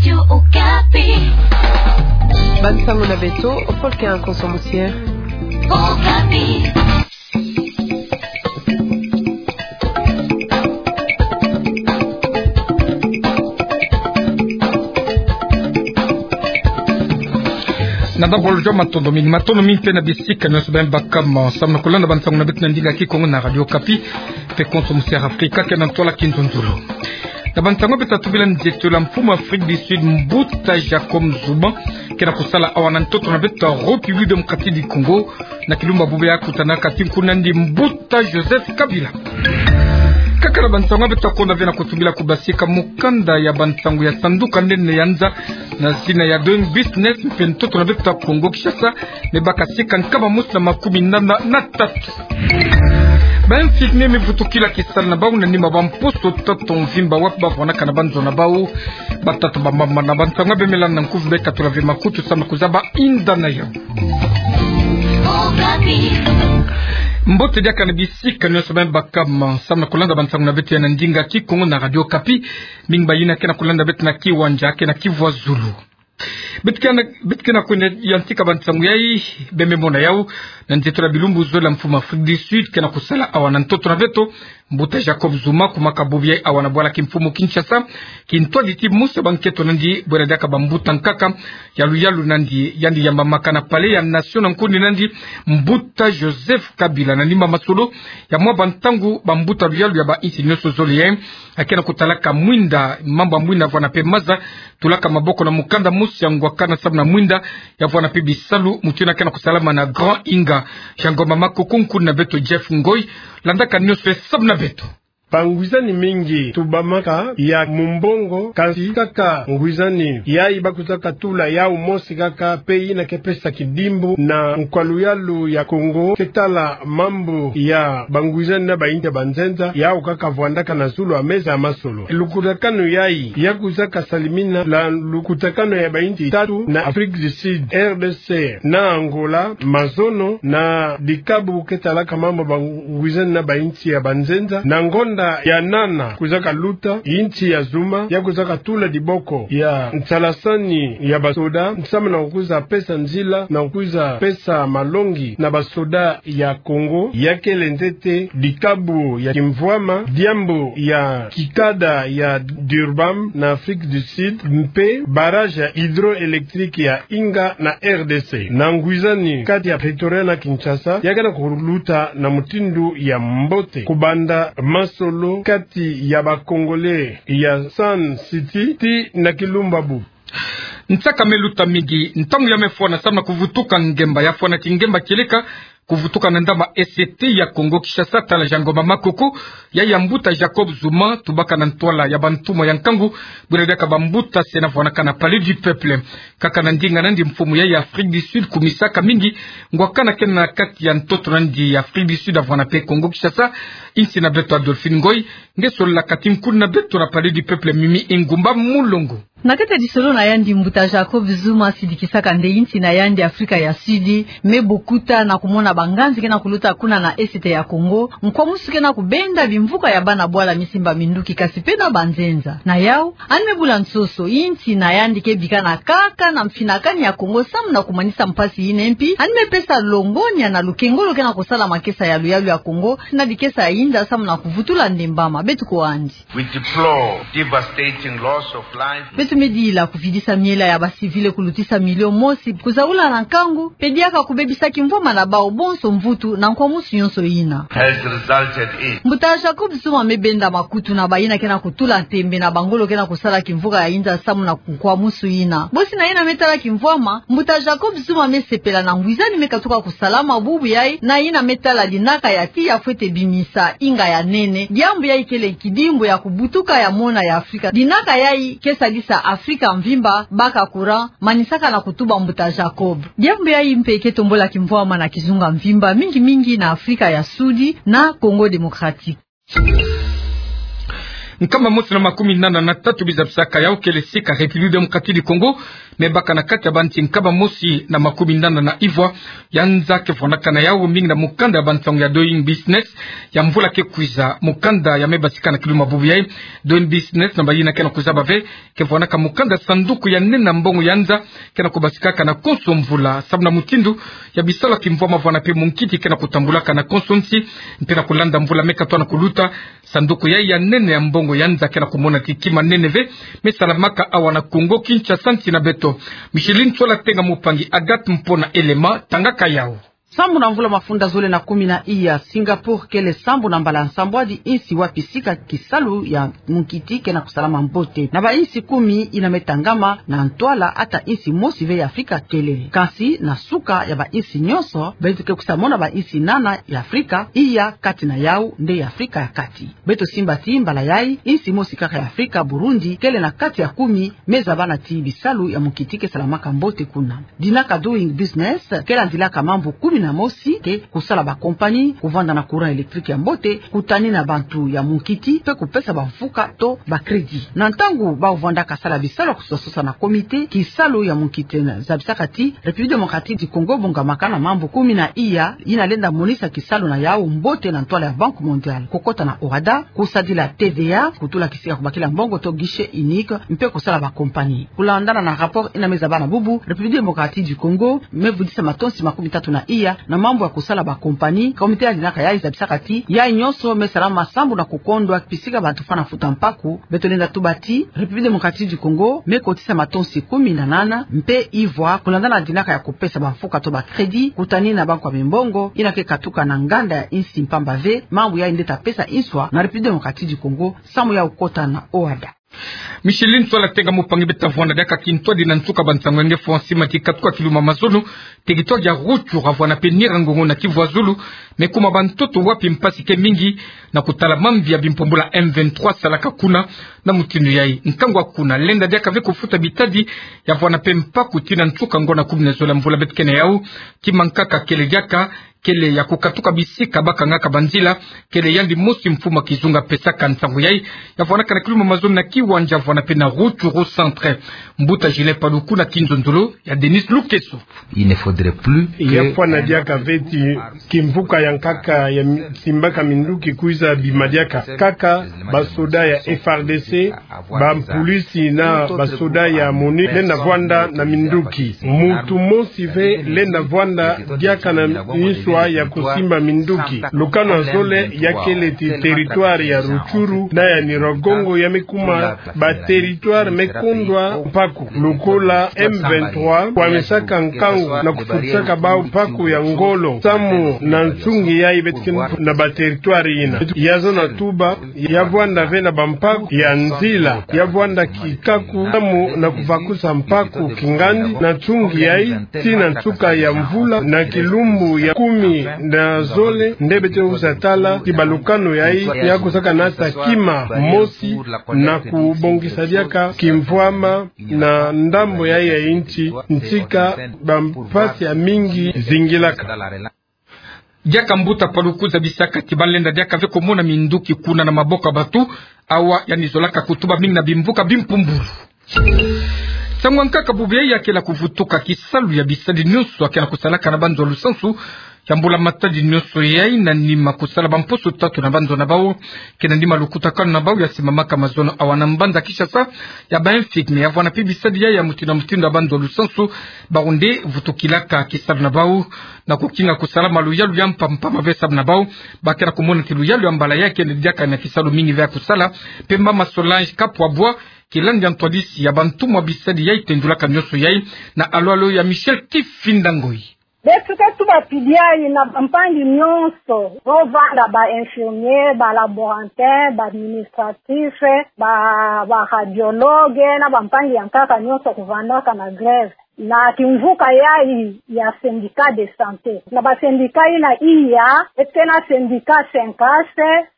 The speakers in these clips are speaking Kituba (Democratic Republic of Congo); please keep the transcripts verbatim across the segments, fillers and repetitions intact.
Radio Okapi. Bansango na beto, Paul Kea Konso Musier. Okapi. Na dabolo jo matondo mingi, matondo mingi mpe na bisika nyonso beno bakama samu na kulanda bansango na beto na ndinga Kikongo na Radio Okapi, mpe Konso Musier Afrika, kena ntwala kinzonzolo. Na bansango beto tatubi la nzietolo ya mfumu Afrique du Sud, Mbuta Jacob Zuma, kena kusala awa na ntoto na beto République Démocratique du Congo, na kilumbu bubu yayi akutana kati nkuna nandi Mbuta Joseph Kabila. Kaka na bansango beto takonda ve na kutubila kubasika mukanda ya bansango ya sanduka nene ya nza na zina ya Doing Business, mpe ntoto na beto Kongo Kinshasa me baka sika nkama mosi na makumi nana na tatu. Ba infirmiers me vutukila kisala na bau na nima ba mposo tatu mvimba wapi bavwanaka na banzo na bau. Batata, bamama, na bansango beno me landa na nkufi beno katula ve makutu samu na kuzaba inda na yau. Mbote diaka na bisika nyonso beno bakama samu na kulanda bansango na beto ya na ndinga Kikongo na Radio Okapi. Mingi bayina kena kulanda beto na kiwanja, kena kivwazulu. Beto kena, beto kena kwenda yantika bansango yayi, beno me mona yau na nzietolo ya bilumbu zole ya mfumu Afrique du Sud kena kusala awa na ntoto na beto, Mbuta Jacob Zuma, kumaka bubu yayi awa na bwala kimfumu Kinshasa, kintwadi ti mosi ya bankento nandi bwena diaka bambuta nkaka ya luyalu nandi, yandi yambamaka na Palais ya Nation na nkundi nandi Mbuta Joseph Kabila, na nima masolo ya mwa bantangu bambuta luyalu ya bainsi nyonso zole yayi akena kutalaka mwinda, mambu ya mwinda vwana mpe maza, tulaka maboko na mukanda mosi ya ngwakana samu na mwinda ya vwana mpe bisalu, mutindu kena kusalama na Grand Inga. Jean Ngoma Makoko, nkundi na beto Jeff Ngoi, landaka nyonso samu na beto. Bangwizani mingi tubamaka ya mumbongo, kansi kaka ngwizani yayi bakwizaka tula yau mosi kaka, mpe yina ke pesa kidimbu na nkwa luyalu ya Kongo ke tala mambu ya bangwizani na bainsi ya banzenza, yau kaka vwandaka na zulu ya meza ya masolo. Lukutakanu yayi ya kwizaka salimina na lukutakanu ya bainsi tatu na Afrique du Sud, R D C na Angola, mazono na dikabu ke talaka mambu bangwizani na bainsi ya banzenza. Na ngonda ya nana kwizaka luta, insi ya Zuma ya kwizaka tula diboko ya nsalasani ya basoda samu na kwiza pesa nzila na kwiza pesa malongi na basoda ya Kongo, ya kele ntete dikabu ya kimvwama, diambu ya kikada ya Durban na Afrique du Sud, mpe barrage ya hydroélectrique ya Inga na R D C. Na ngwizani kati ya Pretoria na Kinshasa, ya kena kuluta na mutindu ya mbote, kubanda masolo kati ya ba Congolais ya Sun City tii na kilumbu bubu. Nsaka me luta mingi, ntangu ya me fwana samu na kuvutuka ngemba, ya fwana ti ngemba kieleka kuvutuka na ndambu ya E C T ya Kongo Kinshasa, tala Jean Ngoma Makoko, ya ya Mbuta Jacob Zuma, tubaka na ntwala ya bantumwa ya nkangu, bwena diaka bambuta se na vwanaka na Palais du Peuple. Kaka na ndinga nandi mfumu ya ya Afrique du Sud kumisaka mingi ngwakana kena na kati ya ntoto nandi ya Afrique du Sud, avwana mpe Kongo Kinshasa, insi na beto Adolphine Ngoi, nge solola kati nkundi na beto na Palais du Peuple Mimi Ingumba Mulongo. Na kati ya disolo na yandi, Mbuta Jacob Zuma sidikisaka nde insi na yandi Afrika ya Sud me bukuta na kumona banganzi kena kuluta kuna na Est ya Kongo, nkwa musu kena kubenda bimvuka ya bana bwala me simba minduki kasi mpe na banzenza. Na yau, yandi me bula nsoso, insi na yandi ke bikana kaka na mfinakani ya Kongo samu na kumanisa mpasi yina, mpi yandi me pesa longonya na lukengolo kena kusala makesa ya luyalu ya Kongo na dikesa ya inda samu na kuvutula ndembama. Beto kwe yandi. We deplore devastating loss of life. Beto me dila kuvidisa miela ya ba civils kulutisa milio mosi, kuzaula na nkangu, mpe diaka kubebisa kimvwama na bau bonso mvutu na nkwa musu nyonso yina. Has resulted in. Mbuta Jacob Zuma me benda makutu na bayina kena kutula ntembe na bangolo kena kusala kimvuka ya inda samu na nkwa musu yina. Bosi na yina me tala kimvwama, Mbuta Jacob Zuma me sepela na ngwizani me katuka kusalama bubu yayi, na yina me tala dinaka ya tiya fwete bimisa inga ya nene. Diambu yayi kele kidimbu ya kubutuka ya mona ya Afrika. Dinaka yayi ke sadisa Afrika mvimba baka courant, manisaka na kutuba Mbuta Jacob. Diambu yayi mpe ke tombula kimvwama na kizunga mvimba, mingi mingi na Afrika ya Sud na Congo Démocratique. Nkama mosi na makumi nana na tatu bizabisaka yau kele sika République Démocratique du Congo me baka na kati ya banti nkama mosi na makumi nana na ivwa ya nza ke vwanakana yau mingi na mukanda ya bansangu ya Doing Business ya mvula ke kwiza. Mukanda ya me batika na kiluma bubu yai, Doing Business na bayina ke na kuzaba ve ke vwanaka mukanda sanduku ya nene ya mbongo ya nza ke na kubasikaka na konso mvula, samu na mutindu ya bisalu ya kimvwama vwana mpe munkiti ke na kutambulaka na konso nsi, mpe na kulanda mvula me katwa na kuluta, sanduku yai ya nene ya mbongo ya nza ke na kumona ti kima nene ve me salamaka awa na Congo Kinshasa, nsi na beto. Micheline Tsola Tenga Mupangi, Agathe Mpona Elema tangaka yau. Sambu na mvula mafunda zole na kumi na iya, Singapour kele sambu na mbala nsambwadi insi wapi sika kisalu ya munkiti ke na kusalama mbote. Na bainsi kumi ina me tangama na ntwala ata insi mosi ve ya Afrika kele. Kansi na suka ya bainsi nyonso, beto ke kwiza mona bainsi nana ya Afrika, iya kati na yau nde ya Afrika ya kati. Beto simba ti mbala yai, insi mosi kaka ya Afrika, Burundi, kele na kati ya kumi me zabana ti bisalu ya munkiti ke salamaka mbote kuna. Dinaka Doing Business ke landilaka mambu kumi na mosi, ke kusala bakompani, kuvanda na courant électrique ya mbote, kutani na bantu ya munkiti, mpe kupesa bamfuka to bacrédit. Na ntangu bau vwandaka sala bisalu ya kusososa na comité, kisalu ya munkiti zabisaka ti République Démocratique du Congo bongamaka na mambu kumi na iya ina lenda monisa kisalu na yau mbote na ntwala ya Banque Mondiale. Kukota na OHADA, kusadila T V A, kutula kisika kubakila mbongo to guichet unique, mpe kusala bakompani. Kulandana na rapport ina me zabana bubu, République Démocratique du Congo me vudisa matonsi makumi tatu na iya na mambu ya kusala bakompani. Comité ya dinaka yai zabisaka ti yai nyonso me salama sambu na kukondwa bisika bantu fwana futa mpaku. Beto lenda tuba ti République Démocratique du Congo me kotisa matonsi kumi na nana mpe ivwa kulandana na dinaka ya kupesa bamfuka to bacrédit kutani na banko ya mimbongo ina ke katuka na nganda ya insi mpamba ve. Mambu yai nde ta pesa inswa na République Démocratique du Congo samu ya kukota na OHADA. Micheline Tsola Tenga Mupangi. Beta vwanda diaka kintwadi na nsuka bansangu ya nge François Mati katuka kiluma mazono, territoire ya Rutshuru vwana mpe Nyiragongo na Kivu ya Zulu, me kuma bantoto wapi mpasi ke mingi na kutala mambi ya bimpumbulu ya M vingt-trois salaka kuna. Na mutindu yai, nkangu ya kuna lenda diaka ve kufuta bitadi ya vwana mpe mpaku tii na nsuka ngu na kumi na zole ya mvula beto ke na yau. Kima nkaka kele diaka kele ya kukatuka bisika bakangaka banzila, kele yandi mosi mfumu ya kizunga pesaka nsangu yai, ya vwanaka na kiluma mazono na kiwanja vwana mpe na Rutshuru Centre. Mbuta Julien Paluku na kinzonzolo ya Denis Lukeso. Il ne faudrait plus que... Ya fwana diaka ve ti kimvuka ya nkaka ya mi-, simbaka minduki kwiza bima diaka. Kaka basoda ya F R D C, bampulisi na basoda ya MONUC lenda vwanda na minduki. Muntu mosi ve lenda vwanda diaka na nswa ya kusimba minduki. Lukanu ya zole ya kele ti territoire ya Rutshuru na ya Nyiragongo ya me kuma baterritoire me kondwa mpaku. Lokola M vingt-trois kwamisaka nkangu na kufutisaka bau mpaku ya ngolo samu na nsungi yai beto ke na baterritoire ina. Ya zona tuba, ya vwanda ve na bampaku ya nzila, ya vwanda kikaku samu na kuvakusa mpaku kingandi. Na nsungi yai, tii na nsuka ya mvula, na kilumbu ya kumi na zole, nde beto ke kwiza tala ti balukanu yai ya kwiza kanasa kima mosi na kubongisa diaka kimvwama na ndambo yai ya insi, ntika bampasi ya mingi zingilaka. Diaka Mbuta Paluku zabisaka ti ba lenda diaka ve kumona minduki kuna na maboko ya bantu, awa yandi zolaka kutuba mingi na bimvuka bimpumbulu. Nsangu ya nkaka bubu yai ya kele kuvutuka kisalu ya bisadi nyonso ya kele kusalaka na banzo ya lusansu ya mbula matadi nyonso yai, na nima kusala bamposo tatu na banzo na bau, ke na nima lukutakanu na bau ya simbamaka mazono awa na mbanza Kinshasa ya ba infirmier, ya vwana mpe bisadi yai ya mutindu na mutindu ya banzo ya lusansu, bau nde vutukilaka kisalu na bau na kukinga kusala maluyalu ya mpamba mpamba ve samu na bau. Ba kele kumona ti luyalu ya mbala yai kele diaka na kisalu mingi ve ya kusala. Mpe mama Solange Kapwabwa, kilandi ya ntwadisi ya bantumwa bisadi yai tendulaka nyonso yai na alo alo ya Michel Kifinda Ngoi. Beto ke tuba pidi yai na bampangi nyonso, bo vanda ba infirmier, ba laborantin, ba administratif, ba, ba radiologue, na bampangi ya nkaka nyonso kuvandaka na grève na kimvuka yai ya syndicat de santé. Na ba syndicat ina iya, beto ke na syndicat Syncas,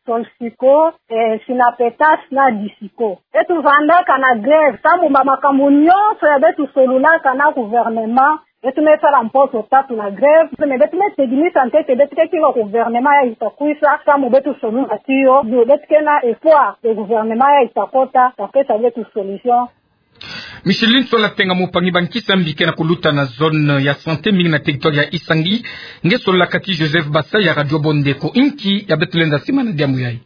Solsico, eh, Synapetas na Disico. Beto vandaka na grève samu ba makambu nyonso ya beto solulaka na gouvernement Beto me sala mposo tatu na grève, mais beto me tegi ni sante te beto ke kinga gouvernement ya ita kwisa, samu beto sonu na tiyo, yo beto ke na espoir te gouvernement ya ita kota, ta pesa beto solution. Micheline Sola Tenga, mopangi bankisi ya mbi ke na kuluta na zone ya santé mingi na territoire ya Isangi, nge sola kati Joseph Basa ya Radio Bondeko. Inki ya beto lenda sima na diambu yayi?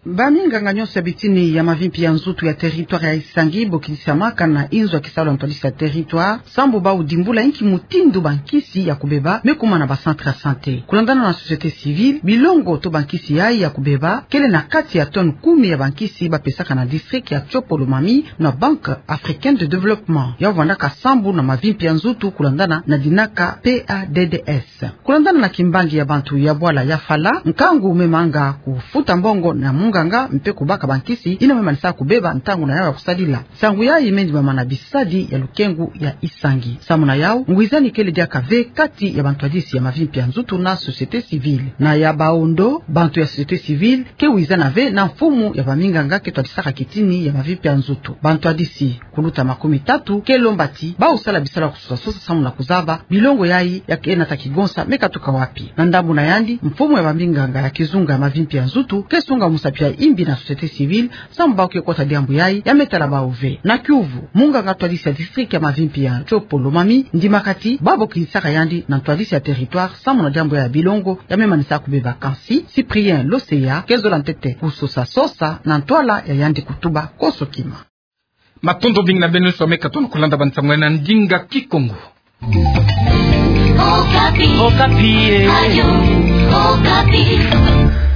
Baminganga nyonso ya bitini ya mavimpi ya nzutu ya territoire ya Isangi, bo kidisamaka na inzo ya kisalu ya ntwadisi ya territoire, sambu bau dimbula inki mutindu bankisi ya kubeba me kuma na ba centre ya santé. Kulandana na société civile, bilongo to bankisi yayi ya kubeba kele na kati ya tonne kumi ya bankisi bapesaka na district ya Tshopo-Lomami na Banque Africaine de Développement. Yau vandaka sambu na mavimpi ya nzutu kulandana na dinaka P A D D S. Kulandana na kimbangi ya bantu ya bwala ya fala, nkangu me manga kufuta mbongo na munganga mpe kubaka bankisi yina me manisa kubeba ntangu na yau ya kusadila. Nsangu yayi me ndimama na bisadi ya lukengu ya Isangi. Samu na yau, ngwizani kele diaka ve kati ya bantwadisi ya mavimpi ya nzutu na société civile. Na ya baondo, bantu ya société civile ke wizana ve na mfumu ya baminganga ke twadisaka kitini ya mavimpi ya nzutu. Bantwadisi kuluta makumi tatu ke lomba ti bau sala bisalu ya kusosa sosa samu na kuzaba bilongo yayi ya ke nata kigonsa me katuka wapi. Na ndambu na yandi, mfumu ya baminganga ya kizunga ya mavimpi ya nzutu ke sunga musapi ya imbi na société civile, samu bau ke kota diambu yayi ya me tala bau ve. Na kiuvu, munganga twadisi ya district ya mavimpi ya Tshopo-Lomami ndimaka ti babo kidisaka yandi na ntwadisi ya territoire samu na diambu ya bilongo ya me manisa kubeba. Kansi Cyprien Loseya ke zola ntete kusosa sosa na ntwala ya yandi kutuba koso kima. Matondo mingi na beno nyonso ya me katuka na kulanda bansangu ya na ndinga Kikongo. Okapi. Okapi, eh. Radio Okapi.